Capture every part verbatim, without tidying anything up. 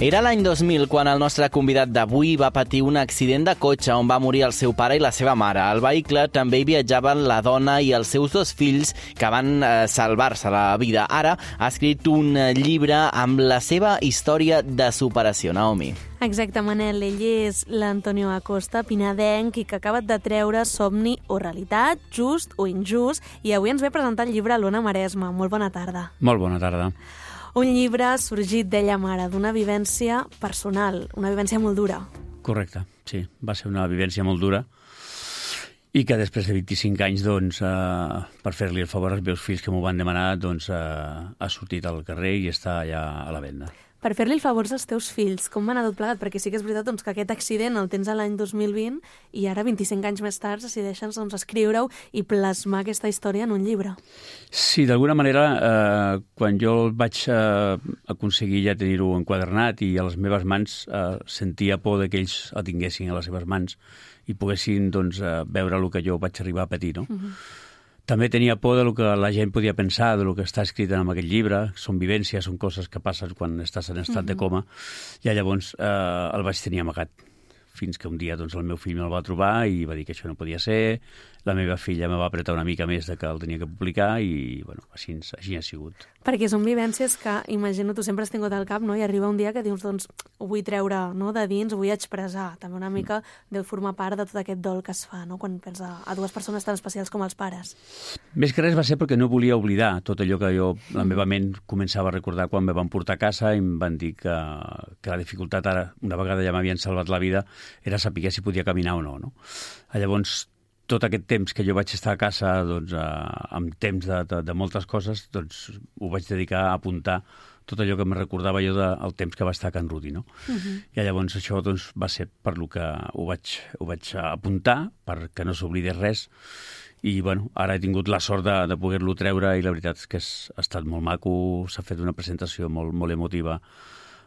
Era l'any dos mil quan el nostre convidat d'avui va patir un accident de cotxe on va morir el seu pare i la seva mare. Al vehicle també hi viatjaven la dona i els seus dos fills que van eh, salvar-se la vida. Ara ha escrit un llibre amb la seva història de superació. Naomi. Exacte, Manel. Ell és l'Antonio Acosta, pinadenc, i que ha acabat de treure Somni o realitat, just o injust, i avui ens ve a presentar el llibre a l'Ona Maresma. Molt bona tarda. Molt bona tarda. Un llibre sorgit d'ella mare, d'una vivència personal, una vivència molt dura. Correcte, sí. Va ser una vivència molt dura i que després de vint-i-cinc anys, doncs, eh, per fer-li el favor als meus fills que m'ho van demanar, doncs, eh, ha sortit al carrer i està allà a la venda. Per fer-li el favor als teus fills, com va anar tot plegat? Perquè sí que és veritat doncs, que aquest accident el tens a l'any dos mil vint i ara, vint-i-cinc anys més tard, decideixen doncs, escriure-ho i plasmar aquesta història en un llibre. Sí, d'alguna manera, eh, quan jo vaig eh, aconseguir ja tenir-ho enquadernat i a les meves mans eh, sentia por que ells el tinguessin a les seves mans i poguessin doncs, eh, veure el que jo vaig arribar a patir, no? Uh-huh. També tenia por del que la gent podia pensar, del que està escrit en aquest llibre. Són vivències, són coses que passen quan estàs en estat uh-huh. de coma. I llavors eh, el vaig tenir amagat. Fins que un dia doncs, el meu fill me'l va trobar i va dir que això no podia ser. La meva filla me va apretar una mica més de que el tenia que publicar i bueno, així, així ha sigut. Perquè són vivències que, imagino, tu sempre has tingut al cap, no? I arriba un dia que dius, doncs, ho vull treure, no?, de dins, ho vull expressar. També una mica deu formar part de tot aquest dol que es fa, no?, quan pensa a dues persones tan especials com els pares. Més que res va ser perquè no volia oblidar tot allò que jo, la meva ment començava a recordar quan me van portar a casa i em van dir que, que la dificultat ara, una vegada ja m'havien salvat la vida, era saber si podia caminar o no, no? Llavors, tot aquest temps que jo vaig estar a casa, doncs, eh, amb temps de, de, de moltes coses, doncs ho vaig dedicar a apuntar tot allò que me recordava jo del temps que va estar a Can Rudi, no? Uh-huh. I llavors això doncs, va ser per lo que ho vaig, ho vaig apuntar, perquè no s'oblidés res. I bueno, ara he tingut la sort de, de poder-lo treure i la veritat és que és, ha estat molt maco, s'ha fet una presentació molt, molt emotiva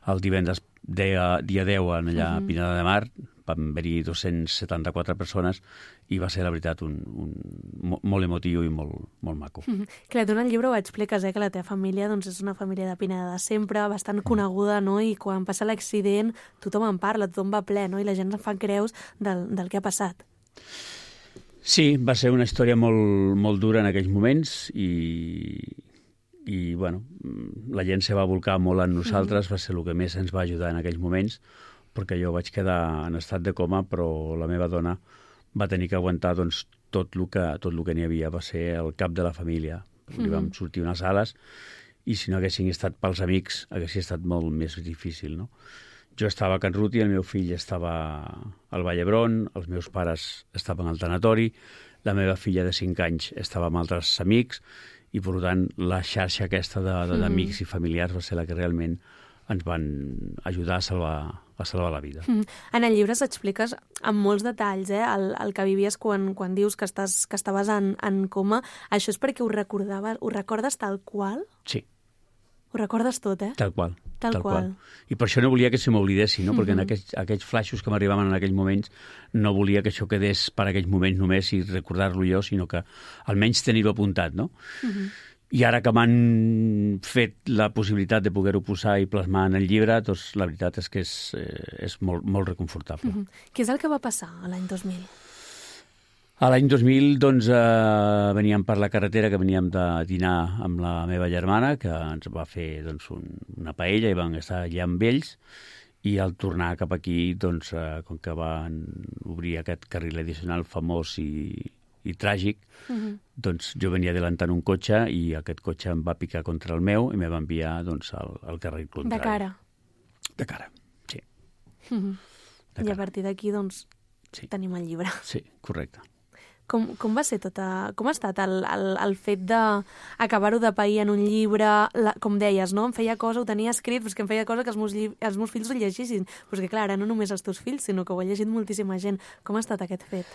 el divendres dia, dia deu allà uh-huh. a Pineda de Mar. Van haver-hi dos-cents setanta-quatre persones i va ser, la veritat, un, un, molt emotiu i molt, molt maco. Mm-hmm. Clar, tu en el llibre ho expliques, eh, que la teva família doncs, és una família de Pineda de sempre, bastant coneguda, no? I quan passa l'accident tothom en parla, tothom va ple, no? I la gent se'n fa creus del, del que ha passat. Sí, va ser una història molt, molt dura en aquells moments i, i bueno, la gent se va volcar molt en nosaltres, mm-hmm. va ser el que més ens va ajudar en aquells moments, perquè jo vaig quedar en estat de coma, però la meva dona va tenir que aguantar doncs, tot el que, tot el que n'hi havia. Va ser el cap de la família. Mm-hmm. Li vam sortir unes ales i si no haguessin estat pels amics haguessin estat molt més difícil, no? Jo estava a Can Ruti, el meu fill estava al Vall d'Hebron, els meus pares estaven al tanatori, la meva filla de cinc anys estava amb altres amics i, per tant, la xarxa aquesta de, de, d'amics mm-hmm. i familiars va ser la que realment ens van ajudar a salvar, a salvar la vida. Mm. En el llibre s'expliques amb molts detalls eh, el, el que vivies quan, quan dius que, estàs, que estaves en, en coma. Això és perquè ho recordaves, ho recordes tal qual? Sí. Ho recordes tot, eh? Tal qual. Tal, tal qual. qual. I per això no volia que se m'oblidessi, no? Mm-hmm. Perquè en aquells, aquells flaixos que m'arribaven en aquells moments no volia que això quedés per aquells moments només i recordar-lo jo, sinó que almenys tenir-ho apuntat, no? Mm-hmm. I ara que m'han fet la possibilitat de poder-ho posar i plasmar en el llibre, doncs la veritat és que és, és molt, molt reconfortable. Mm-hmm. Què és el que va passar a l'any dos mil? A l'any dos mil, doncs, eh, veníem per la carretera, que veníem de dinar amb la meva germana, que ens va fer doncs, un, una paella i vam estar allà amb ells, i al tornar cap aquí, doncs, eh, com que van obrir aquest carril addicional famós i i tràgic, uh-huh. doncs jo venia adelantant un cotxe i aquest cotxe em va picar contra el meu i me va enviar doncs, al, al carril contrari. De cara? De cara, sí. Uh-huh. De I cara. a partir d'aquí, doncs, sí. tenim el llibre. Sí, correcte. Com, com va ser tota... Com ha estat el, el, el fet d'acabar-ho de pair en un llibre? La, com deies, no? Em feia cosa, ho tenia escrit, però és que em feia cosa que els meus, lli... els meus fills ho llegissin. Però és que, clar, ara no només els teus fills, sinó que ho ha llegit moltíssima gent. Com ha estat aquest fet?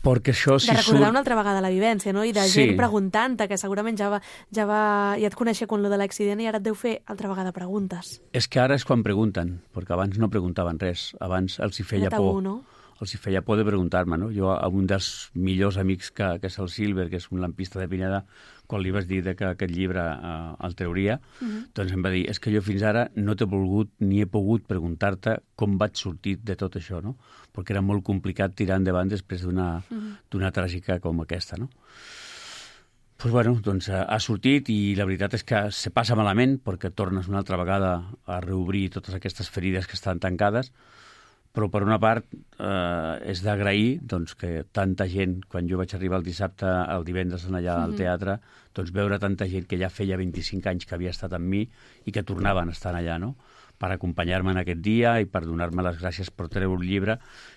Perquè això, si de recordar surt... una altra vegada la vivència, no? I de sí. gent preguntant-te, que segurament ja, va, ja, va, ja et coneixia quan lo de l'accident i ara et deu fer altra vegada preguntes. És que ara és quan pregunten, perquè abans no preguntaven res. Abans els hi feia tabú, por. No? els hi feia por de preguntar-me, no? Jo, a un dels millors amics que, que és el Silver, que és un lampista de Pineda, quan li vas dir que aquest llibre eh, el trauria, uh-huh. doncs em va dir, és que jo fins ara no t'he volgut ni he pogut preguntar-te com vaig sortir de tot això, no? Perquè era molt complicat tirar endavant després d'una uh-huh. d'una tràgica com aquesta, no? Pues bueno, doncs ha sortit i la veritat és que se passa malament perquè tornes una altra vegada a reobrir totes aquestes ferides que estan tancades, però per una part eh, és d'agrair doncs, que tanta gent, quan jo vaig arribar el dissabte, el divendres allà al teatre, doncs veure tanta gent que ja feia vint-i-cinc anys que havia estat amb mi i que tornaven a estar allà, no?, per acompanyar-me en aquest dia i per donar-me les gràcies per treure un llibre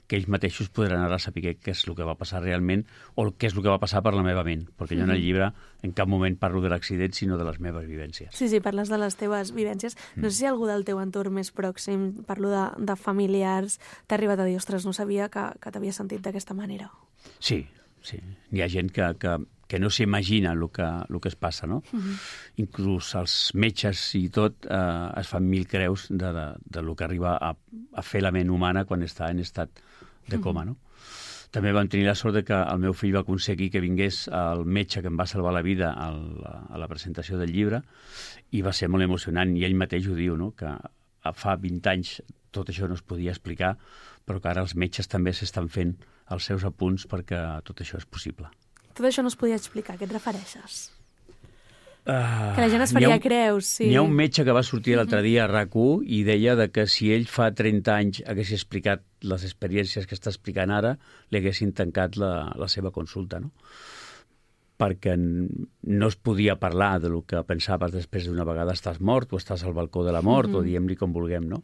que ells mateixos podran ara saber què és el que va passar realment o què és el que va passar per la meva ment, perquè jo en el llibre en cap moment parlo de l'accident, sinó de les meves vivències. Sí, sí, parles de les teves vivències. No sé si algú del teu entorn més pròxim, parlo de, de familiars, t'ha arribat a dir, ostres, no sabia que, que t'havia sentit d'aquesta manera. Sí, sí. Hi ha gent que, que, que no s'imagina el que, el que es passa, no? Uh-huh. Inclús els metges i tot eh, es fan mil creus de, de, de lo que arriba a, a fer la ment humana quan està en estat de coma, no? Uh-huh. També vam tenir la sort de que el meu fill va aconseguir que vingués el metge que em va salvar la vida al, a la presentació del llibre i va ser molt emocionant, i ell mateix ho diu, no?, que fa vint anys tot això no es podia explicar, però que ara els metges també s'estan fent els seus apunts perquè tot això és possible. Tot això no es podia explicar, a què et refereixes? Uh, que la gent es faria un, creus, sí. N'hi ha un metge que va sortir l'altre dia a RAC u i deia de que si ell fa trenta anys hagués explicat les experiències que està explicant ara, li haguessin tancat la, la seva consulta, no? Perquè no es podia parlar de lo que pensaves després d'una vegada estàs mort o estàs al balcó de la mort, mm-hmm. o diguem-li com vulguem, no?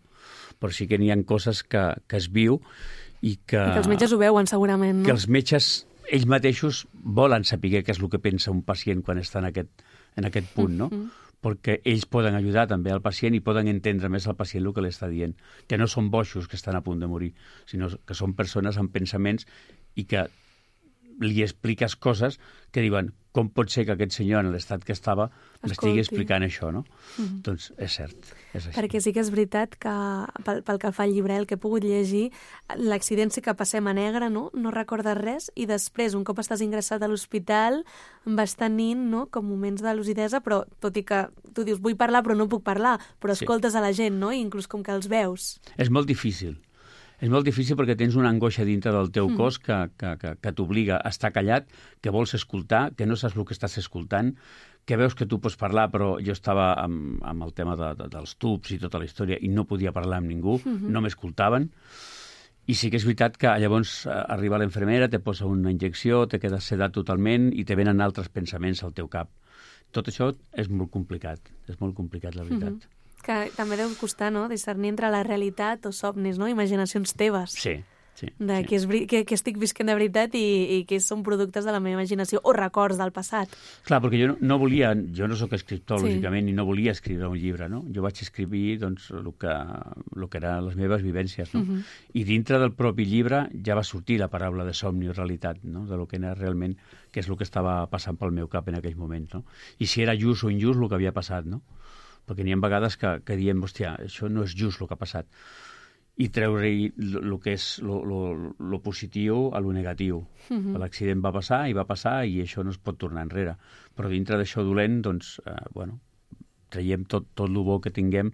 Però sí que n'hi ha coses que, que es viu i que... I que els metges ho veuen, segurament, no? Que els metges, ells mateixos, volen saber què és el que pensa un pacient quan està en aquest, en aquest punt, no? Mm-hmm. Perquè ells poden ajudar també al pacient i poden entendre més al pacient el que li està dient. Que no són boixos que estan a punt de morir, sinó que són persones amb pensaments i que li expliques coses que diuen com pot ser que aquest senyor en l'estat que estava m'estigui explicant això, no? Mm-hmm. Doncs és cert, és així. Perquè sí que és veritat que pel, pel que fa al llibre, el que he pogut llegir, l'accident sí que passem a negre, no? No recordes res, i després, un cop estàs ingressat a l'hospital, vas tenint, no?, com moments de lucidesa, però tot i que tu dius vull parlar però no puc parlar, però escoltes sí. a la gent, no?, i inclús com que els veus. És molt difícil. És molt difícil perquè tens una angoixa dintre del teu mm. cos que, que, que, que t'obliga a estar callat, que vols escoltar, que no saps el que estàs escoltant, que veus que tu pots parlar, però jo estava amb, amb el tema de, de, dels tubs i tota la història i no podia parlar amb ningú, mm-hmm. no m'escoltaven. I sí que és veritat que llavors arriba l'infermera, te posa una injecció, te quedes sedat totalment i te venen altres pensaments al teu cap. Tot això és molt complicat, és molt complicat, la veritat. Mm-hmm. Que també deu costar, no?, discernir entre la realitat o somnis, no?, imaginacions teves. Sí, sí. De sí. que, és, que, que estic visquent de veritat i, i que són productes de la meva imaginació o records del passat. Clar, perquè jo no, no volia, jo no sóc escriptor, sí. lògicament, i no volia escriure un llibre, no? Jo vaig escriure, doncs, el que, el que eren les meves vivències, no? Uh-huh. I dintre del propi llibre ja va sortir la paraula de somni o realitat, no?, de lo que era realment, que és el que estava passant pel meu cap en aquells moments, no? I si era just o injust el que havia passat, no? Perquè n'hi ha vegades que, que diem, hòstia, això no és just el que ha passat. I treure-hi el que és lo positiu a lo negatiu. Uh-huh. L'accident va passar i va passar i això no es pot tornar enrere. Però dintre d'això dolent, doncs, eh, bueno, traiem tot, tot el bo que tinguem,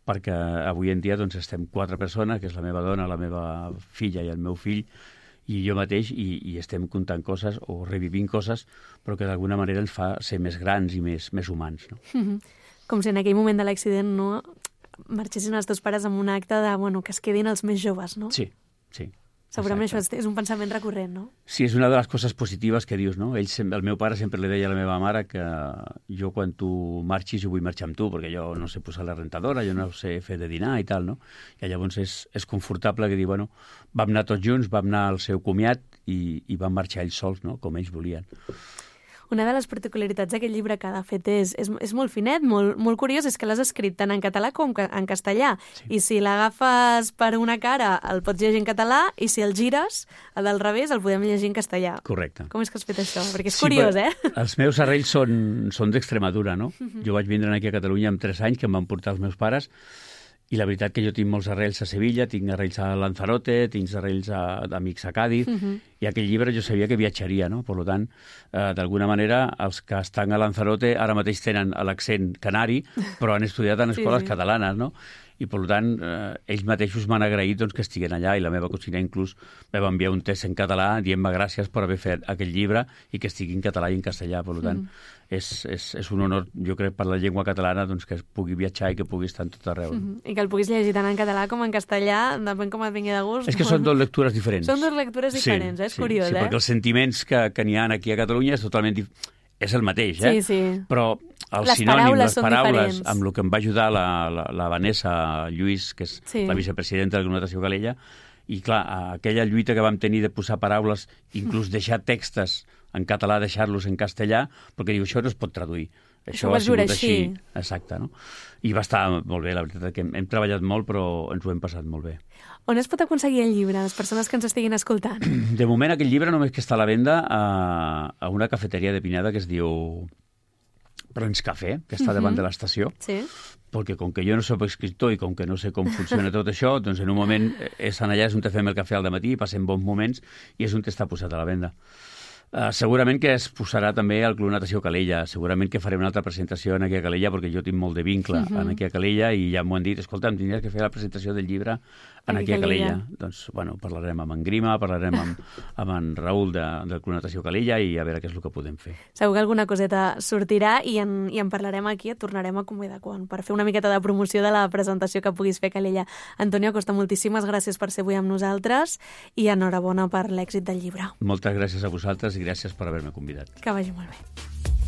perquè avui en dia doncs, estem quatre persones, que és la meva dona, la meva filla i el meu fill, i jo mateix, i, i estem contant coses o revivint coses, però que d'alguna manera ens fa ser més grans i més, més humans, no? Uh-huh. Com si en aquell moment de l'accident no marxessin els teus pares amb un acte de, bueno, que es quedin els més joves, no? Sí, sí. Segurament exacte. Això és un pensament recurrent, no? Sí, és una de les coses positives que dius, no? Ell, el meu pare sempre li deia a la meva mare que jo quan tu marxis jo vull marxar amb tu, perquè jo no sé posar la rentadora, jo no sé fer de dinar i tal, no? I llavors és, és confortable que dir, bueno, vam anar tots junts, vam anar al seu comiat i, i vam marxar ells sols, no?, com ells volien. Una de les particularitats d'aquest llibre que de fet és, és, és molt finet, molt, molt curiós, és que l'has escrit tant en català com en castellà. Sí. I si l'agafes per una cara el pots llegir en català i si el gires, el del revés, el podem llegir en castellà. Correcte. Com és que has fet això? Perquè és sí, curiós, eh? Els meus arrels són, són d'Extremadura, no? Uh-huh. Jo vaig vindre aquí a Catalunya amb tres anys, que em van portar els meus pares, I la veritat que jo tinc molts arrels a Sevilla, tinc arrels a Lanzarote, tinc arrels a- d'amics a Cádiz, Mhm. i aquell llibre jo sabia que viatjaria, no? Per tant, eh, d'alguna manera, els que estan a Lanzarote ara mateix tenen l'accent canari, però han estudiat en Sí, escoles sí. catalanes, no? I, per tant, eh, ells mateixos m'han agraït doncs, que estiguen allà, i la meva cosina inclús me va enviar un test en català dient-me gràcies per haver fet aquell llibre i que estigui en català i en castellà. Per tant, mm. és, és, és un honor, jo crec, per la llengua catalana doncs, que es pugui viatjar i que pugui estar en tot arreu. No? Mhm. I que el puguis llegir tant en català com en castellà, depèn com et vingui de gust. És que són dues lectures diferents. Són dues lectures diferents, sí, eh? És sí, curiós, sí, eh? perquè els sentiments que, que n'hi ha aquí a Catalunya és totalment dif... és el mateix, eh? Sí, sí. Però el Les sinònim, paraules les són paraules, diferents. amb el que em va ajudar la, la, la Vanessa Lluís, que és Sí. la vicepresidenta de la Comunitat Calella, i clar, aquella lluita que vam tenir de posar paraules, inclús deixar textos en català, deixar-los en castellà, perquè diu, això no es pot traduir. Això Això va ha sigut jurar així. així. Exacte, no? I va estar molt bé, la veritat, que hem, hem treballat molt, però ens ho hem passat molt bé. On es pot aconseguir el llibre, les persones que ens estiguin escoltant? De moment, aquest llibre només que està a la venda a, a una cafeteria de Pineda que es diu Brons Café, que està davant Mhm. de l'estació, Sí. perquè com que jo no soc escriptor i com que no sé com funciona tot això, doncs en un moment és en allà, és on te fem el cafè al dematí, passem bons moments i és on està posat a la venda. Uh, segurament que es posarà també al Club Natació Calella, segurament que farem una altra presentació en aquí a Calella, perquè jo tinc molt de vincle Mhm. en aquí a Calella i ja m'ho han dit, escolta'm, tindries que fer la presentació del llibre en aquí a Calella. Doncs, bueno, parlarem amb en Grima, parlarem amb, amb en Raül de, del Club Natació Calella i a veure què és el que podem fer. Segur que alguna coseta sortirà i en, i en parlarem aquí, et tornarem a convidar quan, per fer una miqueta de promoció de la presentació que puguis fer a Calella. Antonio Acosta, moltíssimes gràcies per ser avui amb nosaltres i enhorabona per l'èxit del llibre. Moltes gràcies a vosaltres i gràcies per haver-me convidat. Que vagi molt bé.